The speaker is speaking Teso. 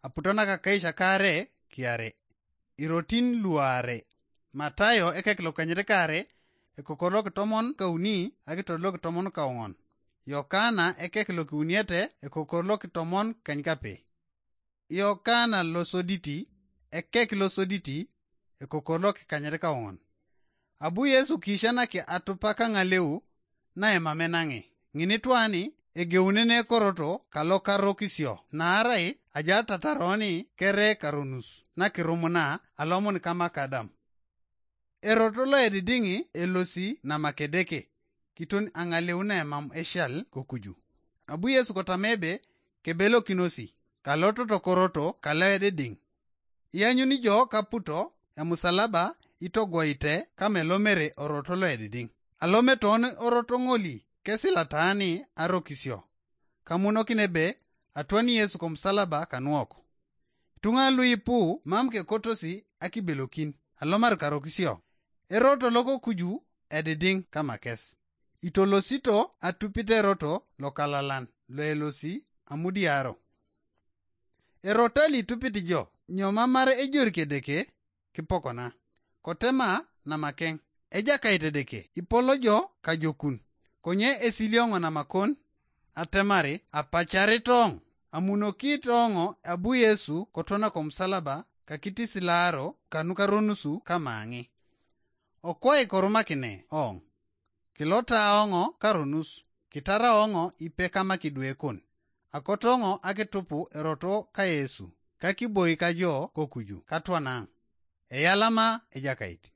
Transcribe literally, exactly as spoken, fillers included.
Aputo nakakaish akare kiare. Irotin luare. Matayo ekek lokanyit kare, ekokor lokitomon kauni akitot lokitomon kaong'on. Yokana ekek lokiuniete, ekokor lokitomon kanykape. Yokana losoditi, ekek losoditi, ekokor lokikanyit kaong'on. Abu Yesu kishanaki atupak aŋaleu naemame naŋi. Ŋinitwani egeunene koroto kalokarokisio, naarai ajatataroni kere karonus nakirumuna alomun kamakadam. Erot loedidiŋ elosi namakedeke, kiton aŋaleu naemam eshal kokuju. Abu Yesu kotama ebe kebelokinosi, kalototo koroto kaloedidiŋ. Ianyuni jo kaputo emusalaba itogwoite kamelomere oroto loedidiŋ. Alometon oroto ŋoli kesilataani arokisio. Kamunokin ebe atwani Yesu komusalaba kanuok. Ituŋa luipu mam kekotosi akibelokin alomar karokisio. Eroto lokokuju edidiŋ kamakes. Itolosito atupit eroto lokalalan loelosi amudiaro. Erota litupit jo, nyomamar ejorike Edeke kipokona. Kotema namakeŋ, Ejakait Edeke, ipolo jo kajokun. Konye esilioŋo namakon, atemari apacaritoŋ, amunokitoŋo abu Yesu kotona komusalaba kakitisilaaro kanukaronusu kamaŋi. Okwai korumakine oŋ. Kilota oŋo karonus, kitara oŋo ipe kamakidwekon. Akotoŋo akitupu eroto ka Yesu, kakiboi kajo kokuju katwanaŋ. Eyalama Ejakait.